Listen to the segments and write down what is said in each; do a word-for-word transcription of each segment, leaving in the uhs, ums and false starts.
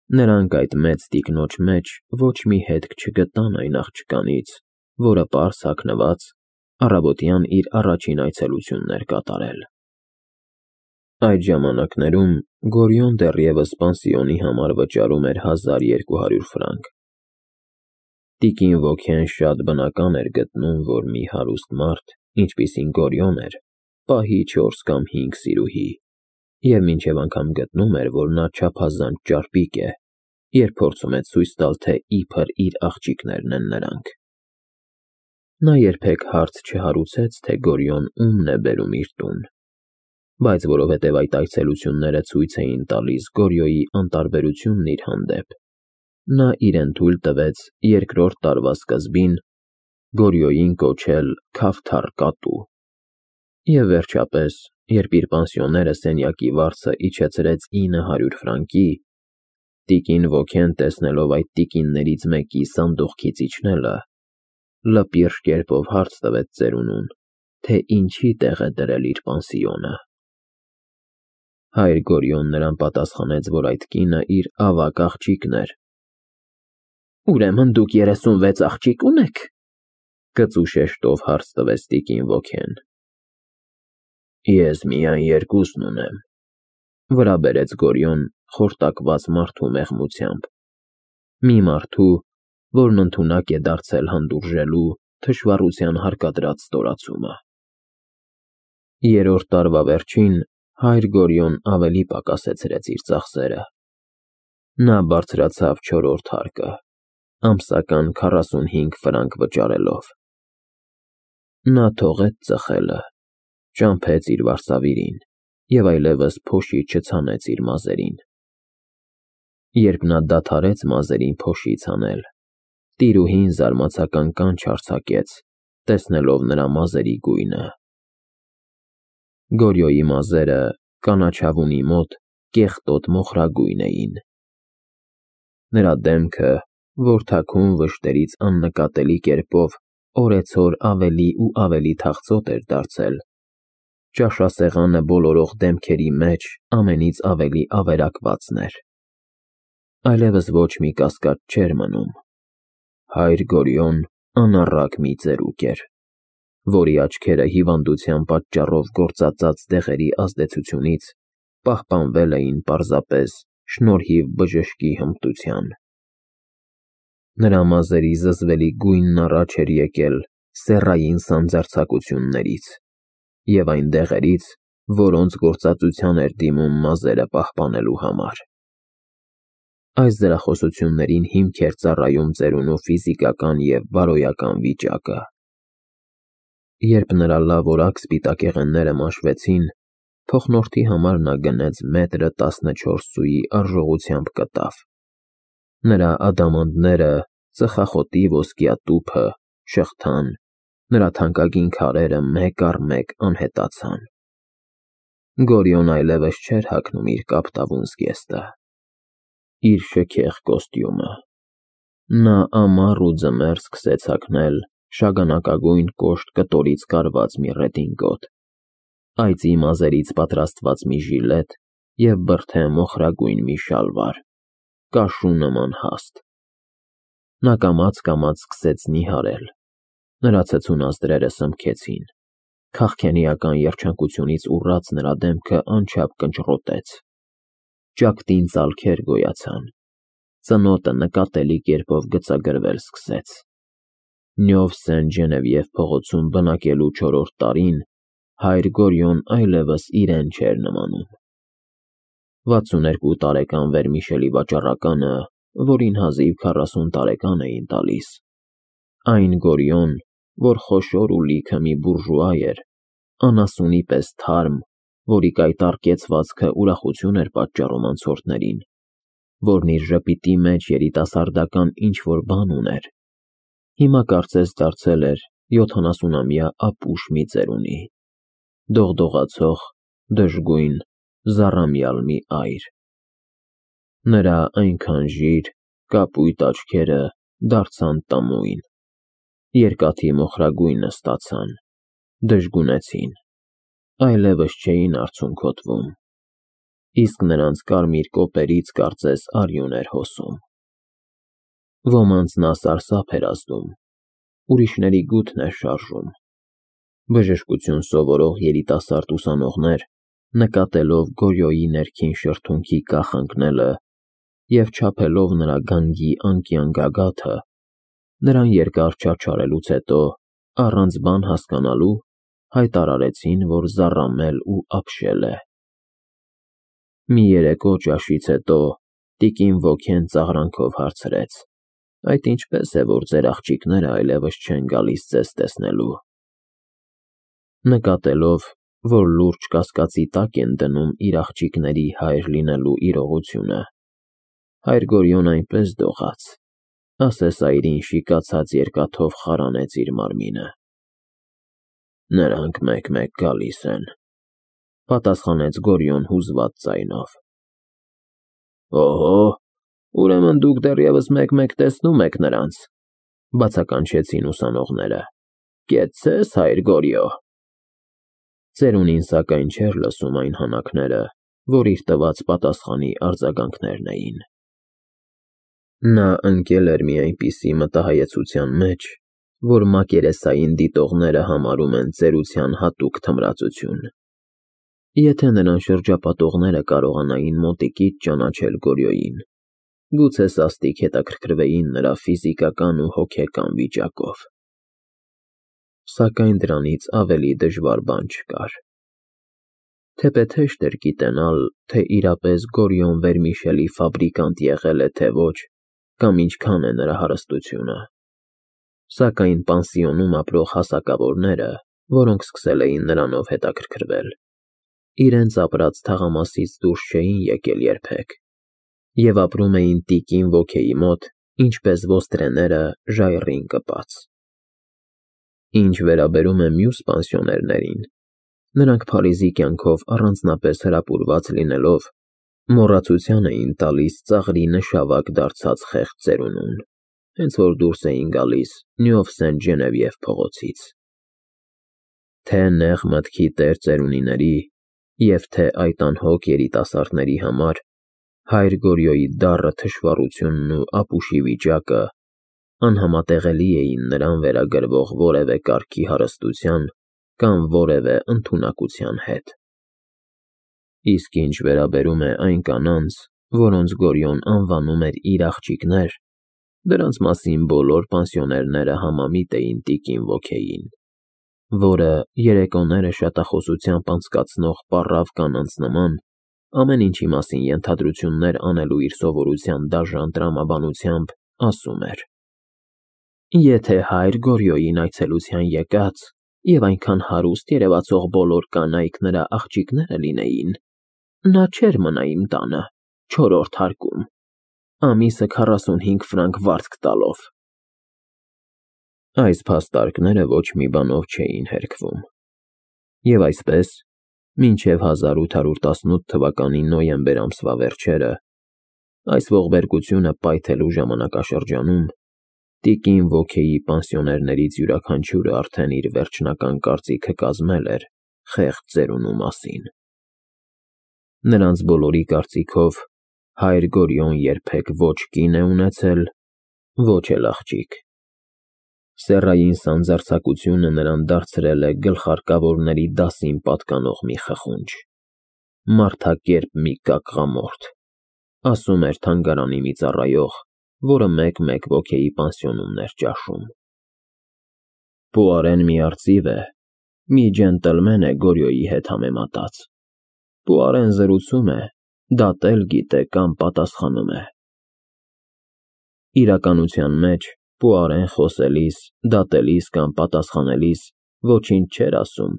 Նրանք այդ մեծ տիկնոջ մեջ ոչ մի հետք չգտան այն աղջկանից, որը պարզ հագնված, առավոտյան իր առաջին այցելությունն էր կատարել։ Այդ ժամանակներում Գորիոն դեռևս պանսիոնի համար վճարում էր հազար երկու հարյուր ֆրանկ։ Տիկին Վոքեն շատ բնական էր գտնում, որ մի հարուստ մարդ, ինչպիսին Գորիոն էր, պահի չորս կամ հինգ սիրուհի, և մինչև անգամ գտնում էր, որ նա չափազանց ճարպիկ է, երբ փորձում է ցույց տալ, թե իբր իր աղջիկներն են նրանք։ Նա երբեք հարց չհարուցեց, թե Գորիոն ումն է բերում իր տուն, բայց որովհետև այդ այցելությունները ցույց էին տալիս Գորիոյի անտարբերությունն իր հանդեպ, նա իրեն թույլ տվեց երկրորդ տարվա սկզբին Գորիոյին կոչել Քավթար կատու, և վերջապես, երբ իր պանսիոները սենյակի վարձը իջեցրեց ինը հարյուր ֆրանկի, տիկին Վոքեն, տեսնելով այդ տիկիններից մեկի սանդուղքից իջնելը, լպիրշ կերպով հարց տվեց ծերունուն, թե ինչի տեղ է դրել իր պանսիոնը։ Հայր Գորիոն նրան պատասխանեց, որ այդ կինը իր ավագ աղջիկն էր։ «Ուրեմն դուք երեսունվեց աղջիկ ունեք,֊ կծու շեշտով հարց տվեց տիկին Վոքեն։ «Ես միայն երկուսն ունեմ,֊ վրա բերեց Գորիոն խորտակված մարդու մեղմությամբ, մի մարդու, որն ընդունակ է դարձել հանդուրժելու թշվառության հարկադրած ստորացումը»։ Երրորդ տարվա վերջին հայր Գորիոն ավելի պակասեցրեց իր ծախսերը։ Նա բարձրացավ չորրորդ հարկը, ամսական քառասունհինգ ֆրանկ վճարելով։ Նա թողեց ծխելը, ճամփեց իր վարսավիրին և այլևս փոշի չցանեց իր մազերին։ Երբ նա դադարեց մազերին փոշի ցանել, տիրուհին զարմացական կանչ արձակեց, տեսնելով նրա մազերի գույնը։ Գորիոյի մազերը կանաչավունի մոտ կեղտոտ մոխրագույն էին։ Նրա դեմքը, որ թաքուն վշտերից աննկատելի կերպով օրեցօր ավելի ու ավելի թախծոտ էր դարձել, ճաշասեղանը բոլորող դեմքերի մեջ ամենից ավելի ավերակվածն էր։ Այլևս ոչ մի կասկած չէր մնում. հայր Գորիոն անառակ մի ծերուկ էր, որի աչքերը հիվանդության պատճառով գործածած դեղերի ազդեցությունից պահպանվել էին պարզապես շնորհիվ բժշկի հմտության։ Նրա մազերի զզվելի գույնն առաջ էր եկել սեռային սանձարձակություններից և այն դեղերից, որոնց գործածության էր դիմում մազերը պահպանելու համար։ Այս դրախոսություններին հիմք էր ծառայում ծերունու ֆիզիկական և բարոյական վիճակը։ Երբ նրա լավ-որակ սպիտակեղենները մաշվեցին, փոխնորդի համար նա գնեց մետրը տասնչորս սուի արժողությամբ կտավ։ Նրա ադամանդները, ծխախոտի ոսկյա տուփը, շղթան, նրա թանկագին քարերը մեկ առ մեկ անհետացան։ Գորիոն այլևս չէր հագնում իր կապտավուն զգեստը, իր շքեղ կոստյումը։ Նա ամառ ու ձմեռ սկսեց հագնել շագանակագույն կոշտ կտորից կարված մի ռեդինգոտ, այծի մազերից պատրաստված մի ժիլետ և բրդե մոխրագույն մի շալվար, կաշու նման հաստ։ Նա կամաց֊կամաց սկսեց նիհարել, նրա ցցուն ազդրերը սմքեցին, քաղքենիական երջանկությունից ուռած նրա դեմքը անչափ կնճռոտեց, ճակտին ծալքեր գոյացան, ծնոտը նկատելի կերպով գծագրվել սկսեց։ Նյով Սեն֊Ժենևիև փողոցում բնակելու չորրորդ տարին հայր Գորիոն այլևս իրեն չէր նմանում։ Վաթսուներկու տարեկան վերմիշելի վաճառականը, որին հազիվ քառասուն տարեկան էին տալիս, այն Գորիոն, որ խոշոր ու լիքը մի բուրժուա էր, անասունի պես թարմ, որի կայտառ կեցվածքը ուրախություն էր պատճառում անցորդներին, որն իր ժպիտի մեջ երիտասարդական ինչ֊որ բան ուներ, հիմա կարծես դարձել էր յոթանասունամյա ապուշ մի ծերունի, դողդողացող, դժգույն, զառամյալ մի այր։ Նրա այնքան ժիր, կապույտ աչքերը դարձան տմույն, երկաթի մոխրագույնը ստացան, դժգունեցին, այլևս չէին արցունքոտվում։ իսկ նրանց կարմիր կոպերից կարծես արյուն էր հոսում։ Ոմանց նա սարսափ էր ազդում, ուրիշների գութն էր շարժում։ Բժշկություն սովորող երիտասարդ ուսանողներ, նկատելով Գորյոյի ներքին շրթունքի կախ ընկնելը և չափելով նրա գանգի անկյան գագաթը, նրան երկար չարչարելուց հետո, առանց բան հասկանալու, հայտարարեցին, որ զառամել ու ապշել է։ Մի երեկո ճաշից հետո տիկին Ոքեն ծաղրանքով հարցրեց. «Այդ ինչպե՞ս է, որ ձեր աղջիկները այլևս չեն գալիս ձեզ տեսնելու»։ Նկատելով, որ լուրջ կասկածի տակ են դնում իր աղջիկների հայր լինելու իրողությունը, հայր Գորյոն այնպես դողաց, ասես այրին շիկացած երկաթով խարանեց իր մարմինը։ «Նրանք մեկ֊մեկ գալիս են», պատասխանեց Գորյուն հուզված ձայնով։ «Օհո, ուրեմն դուք դեռևս մեկ֊մեկ տեսնում եք նրանց», բացականչեցին ուսանողները։ «Կեցցե՞ս, հայր Գորյո»։ Ծերունին սակայն չէր լսում այն հանակները, որ իր տված պատասխանի արձագանքներն էին։ Նա ընկել էր մի այնպիսի մտահայեցության մեջ, որ մակերեսային դիտողները համարում են ծերության հատուկ թմրածություն։ Եթե նրան շրջապատողները կարողանային մոտիկից ճանաչել Գորյոյին, գուցե սաստիկ հետաքրքրվեին նրա ֆիզիկական ու հոգեկան վիճակով։ Սակայն դրանից ավելի դժվար բան չկար։ Թեպետ հեշտ էր գիտենալ, թե իրապես Գորյոն վերմիշելի ֆաբրիկանտ եղել է, թե ոչ, կամ ինչքան է նրա հարստությունը։ Սակայն պանսիոնում ապրող հասակավորները, որոնք սկսել էին նրանով հետաքրքրվել, իրենց ապրած թաղամասից դուրս չէին եկել երբեք և ապրում էին տիկին Ոքեի մոտ, ինչպես ոստրեները ժայռին կպած։ Ինչ վերաբերում է մյուս պանսիոներներին, նրանք Փարիզի կյանքով առանձնապես հրապուրված լինելով, մոռացության էին տալիս ծաղրի նշավակ դարձած խեղճ ծերունուն, հենց որ դուրս էին գալիս Նյուով Սենտ փողոցից։ Թե նեղ մտքի տեր ծերունիների և թե այդ անհոգ երիտասարդների համար հայր Գորյոյի դառը թշվառությունն ու ապուշի վիճակը անհամատեղելի էին նրան վերագրվող որևէ կարգի հարստության կամ որևէ ընդունակության հետ։ Իսկ ինչ վերաբերում է այն կանանց, որոնց Գորյոն անվանում էր իր աղջիկներ, դրանց մասին բոլոր պանսիոներները համամիտ էին տիկին Ոքեին, որը երեկոները շատախոսությամբ անցկացնող պառավ կանանց նման, ամեն ինչի մասին ենթադրություններ անելու իր սովորության դաժան տրամաբանությամբ ասում էր. «Եթե հայր Գորյոյին այցելության եկած և այնքան հարուստ երևացող բոլոր կանայք նրա աղջիկները լինեին, նա չէր մնա իմ տանը, չորրորդ հարկում, ամիսը քառասունհինգ ֆրանկ վարձք տալով»։ Այս փաստարկները ոչ մի բանով չէին հերքվում։ Եվ այսպես, մինչև հազար ութ հարյուր տասնութ թվականի նոյեմբեր ամսվա վերջերը, այս ողբերգությունը պայթելու ժամանակաշրջանում, տիկին Ոքեի պանսիոներներից յուրաքանչյուրը արդեն իր վերջնական կարծիքը կազմել էր խեղճ ծերունու մասին։ Նրանց բոլորի կարծիքով հայր Գորյոն երբեք ոչ կին է ունեցել, ոչ էլ աղջիկ։ Սեռային սանձարձակությունը նրան դարձրել է գլխարկավորների դասին պատկանող մի խխունջ, մարդակերպ մի կակղամորթ, ասում էր թանգարանի մի ծառայող, որը մեկ֊մեկ Ոքեի պանսիոնում էր ճաշում։ Պուարեն մի արծիվ է, մի ջենտլմեն է Գորյոյի հետ համեմատած։ Պուարեն զրուցում է, դատել գիտե կամ պատասխանում է։ Իրականության մեջ Պուարեն խոսելիս, դատելիս կամ պատասխանելիս ոչինչ չէր ասում,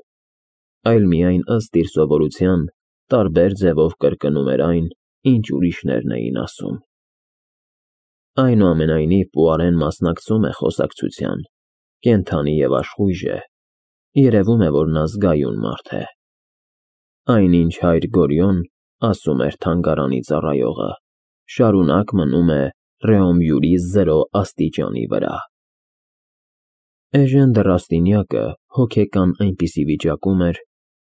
այլ միայն ըստ իր սովորության տարբեր ձևով կրկնում էր այն, ինչ ուրիշներն էին ասում։ Այնուամենայնիվ Պուարեն մասնակցում է խոսակցության, կենդանի և աշխույժ է, երևում է, որ նա զգայուն մարդ է։ Այնինչ հայր Գորյոն, ասում էր թանգարանի ծառայողը, շարունակ մնում է Ռեոմյուրի զրո աստիճանի վրա։ Էժեն դեռաստիճակը հոգեկան այնպիսի վիճակում էր,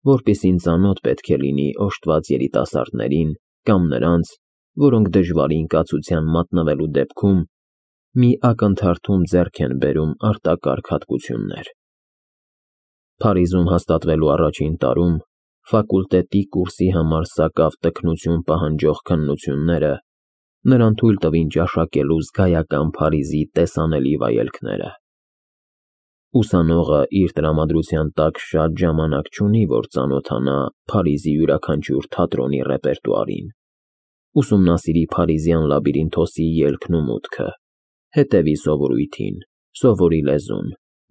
որպեսզի ծանոթ պետք է լինի օժտված երիտասարդներին կամ նրանց, որոնք դժվարին կացության մատնվելու դեպքում մի ակնթարթում ձեռք են բերում արտակարգ հատկություններ։ Փարիզում հաստատվելու առաջին տարում ֆակուլտետի կուրսի համար սակավ տքնություն պահանջող քննությունները նրան թույլ տվին ճաշակելու զգայական Փարիզի տեսանելի վայելքները։ Ուսանողը իր տրամադրության տակ շատ ժամանակ չունի, որ ծանոթանա Փարիզի յուրաքանչյուր թատրոնի ռեպերտուարին, ուսումնասիրի փարիզյան լաբիրինթոսի ելքն ու մուտքը, հետևի սովորույթին, սովորի լեզուն,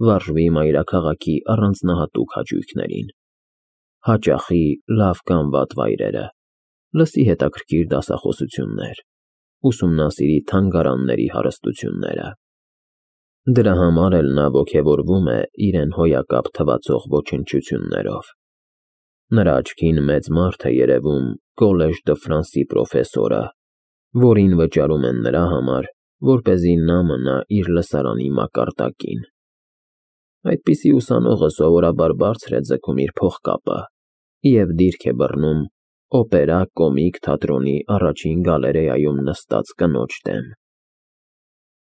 վարժվի մայրաքաղաքի առանձնահատուկ հաճույքներին, հաճախի լավ կամ վատ վայրերը, լսի հետաքրքիր դասախոսություններ, ուսումնասիրի թանգարանների հարստությունները։ Դրա համար էլ նա ոգևորվում է իրեն հոյակապ թվացող ոչնչություններով։ Նրա աչքին մեծ մարդ է երևում Collège de France-ի պրոֆեսորը, որին վճարում են նրա համար, որպեսզի նա մնա իր լսարանի մակարդակին։ Այդպիսի ուսանողը սովորաբար բարձր է ձգում իր փողկապը և դիրք է բռնում օպերա կոմիկ թատրոնի առաջին գալերեայում նստած կնոջ դեմ։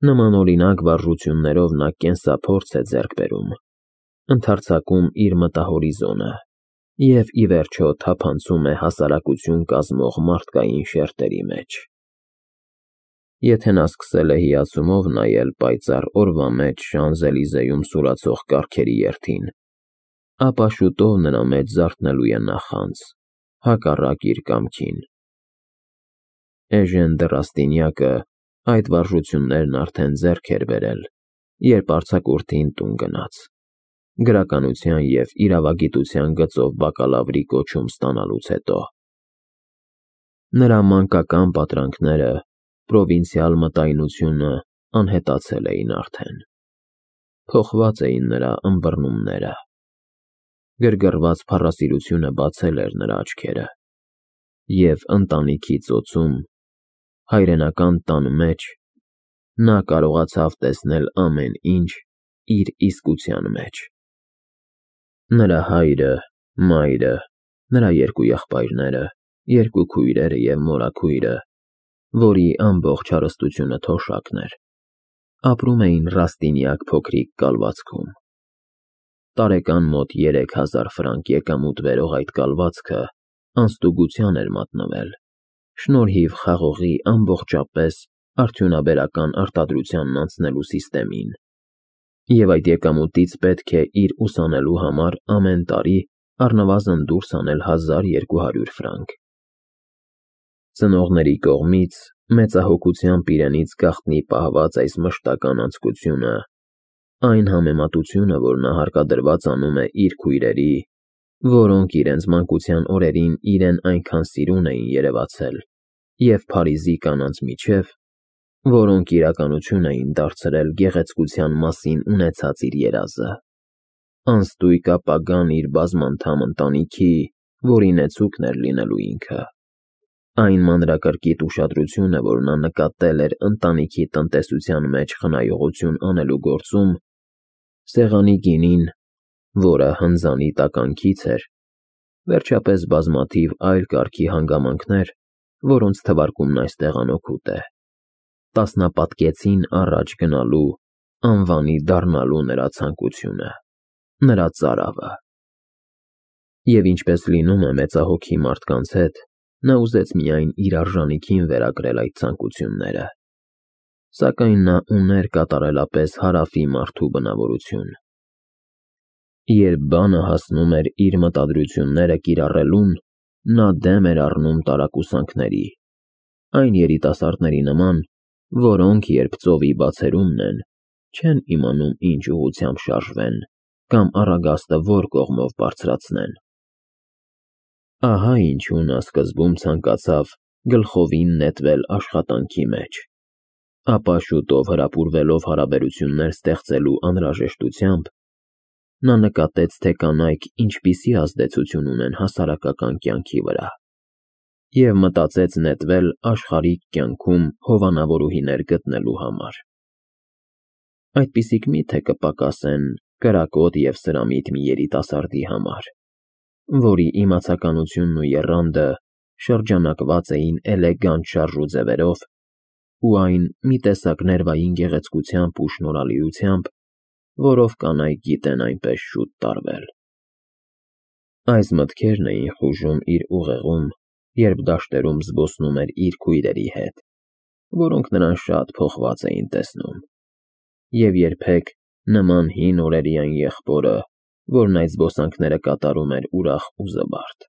Նման օրինակ վարժություններով նա կենսափորձ է ձեռք բերում, ընդարձակում իր մտահորիզոնը և ի վերջո թափանցում է հասարակություն կազմող մարդկային շերտերի մեջ։ Եթե նա սկսել է հիացումով նայել պայծառ օրվա մեջ Շանզելիզեում սուրացող կառքերի երթին, ապա շուտով նրա մեջ զարթնելու է նախանձ, հակառակ իր կամքին։ Էժեն դը Ռաստինյակը այդ վարժություններն արդեն ձեռք էր բերել, երբ արձակուրդին տուն գնաց, գրականության և իրավագիտության գծով բակալավրի կոչում ստանալուց հետո։ Նրա մանկական պատրանքները, պրովինցիալ մտայնությունը անհետացել էին արդեն։ Փոխված էին նրա ըմբռնումները։ Գրգռված փառասիրությունը բացել էր նրա աչքերը, և ընտանիքի ծոցում, հայրենական տան մեջ նա կարողացավ տեսնել ամեն ինչ իր իսկության մեջ։ Նրա հայրը, մայրը, նրա երկու եղբայրները, երկու քույրերը և մորաքույրը, որի ամբողջ հարստությունը թոշակն էր, ապրում էին Ռաստինյակ փոքրիկ կալվածքում։ Տարեկան մոտ երեք հազար ֆրանկ եկամուտ բերող այդ կալվածքը անստուգության էր մատնվել, շնորհիվ խաղողի ամբողջապես արդյունաբերական արտադրությանն անցնելու սիստեմին, և այդ եկամուտից պետք է իր ուսանելու համար ամեն տարի առնվազն դուրս անել հազար երկու հարյուր ֆրանկ։ Ծնողների կողմից մեծահոգությամբ իրենից գաղտնի պահված այս մշտական անձկությունը, այն համեմատությունը, որ նա հարկադրված անում է իր քույրերի, որոնք իրենց մանկության օրերին իրեն այնքան սիրուն էին երևացել, և Փարիզի կանանց միջև, որոնք իրականություն էին դարձրել գեղեցկության մասին ունեցած իր երազը, անստույգ ապագան իր բազմանդամ ընտանիքի, որի նեցուկն էր լինելու ինքը, այն մանրակրկիտ ուշադրությունը, որ նա նկատել էր ընտանիքի տնտեսության մեջ խնայողություն անելու գործում, սեղանի գինին, որը հնձանի տականքից էր, վերջապես բազմաթիվ այլ կարգի հանգամանքներ, որոնց թվարկումն այստեղ անօգուտ է, տասնապատկեցին առաջ գնալու, անվանի դառնալու նրա ցանկությունը, նրա ծարավը։ Եվ ինչպես լինում է մեծահոգի մարդկանց հետ, նա ուզեց միայն իր արժանիքին վերագրել այդ ցանկությունները, սակայն նա ուներ կատարելապես հարավի մարդու բնավորություն։ Երբ բանը հասնում էր իր մտադրությունները կիրառելուն, նա դեմ էր առնում տարակուսանքների, այն երիտասարդների նման, որոնք երբ ծովի բացերումն են, չեն իմանում ինչ ուղղությամբ շարժվեն կամ առագաստը որ կողմով բարձրացնեն։ Ահա ինչու նա սկզբում ցանկացավ գլխովին նետվել աշխատանքի մեջ, ապա շուտով հրապուրվելով հարաբերություններ ստեղծելու անհրաժեշտությամբ, նա նկատեց, թե կանայք ինչպիսի ազդեցություն ունեն հասարակական կյանքի վրա, և մտածեց նետվել աշխարհիկ կյանքում հովանավորուհիներ գտնելու համար։ Այդպիսիք մի՞թե կպակասեն կրակոտ և սրամիտ մի երիտասարդի համար։ որի իմացականությունն ու եռանդը շրջանակված էին էլեգանտ շարժուձևերով, ու այն մի տեսակ ներվային գեղեցկությամբ ու շնորհալիությամբ, որով կանայք գիտեն այնպես շուտ տարվել։ Այս մտքերն էին խուժում իր ուղեղում, երբ դաշտերում զբոսնում էր իր քույրերի հետ, որոնք նրան շատ փոխված էին տեսնում, և երբեք նման հին օրերի այն եղբորը, որն այդ զբոսանքները կատարում էր ուրախ ու զվարթ։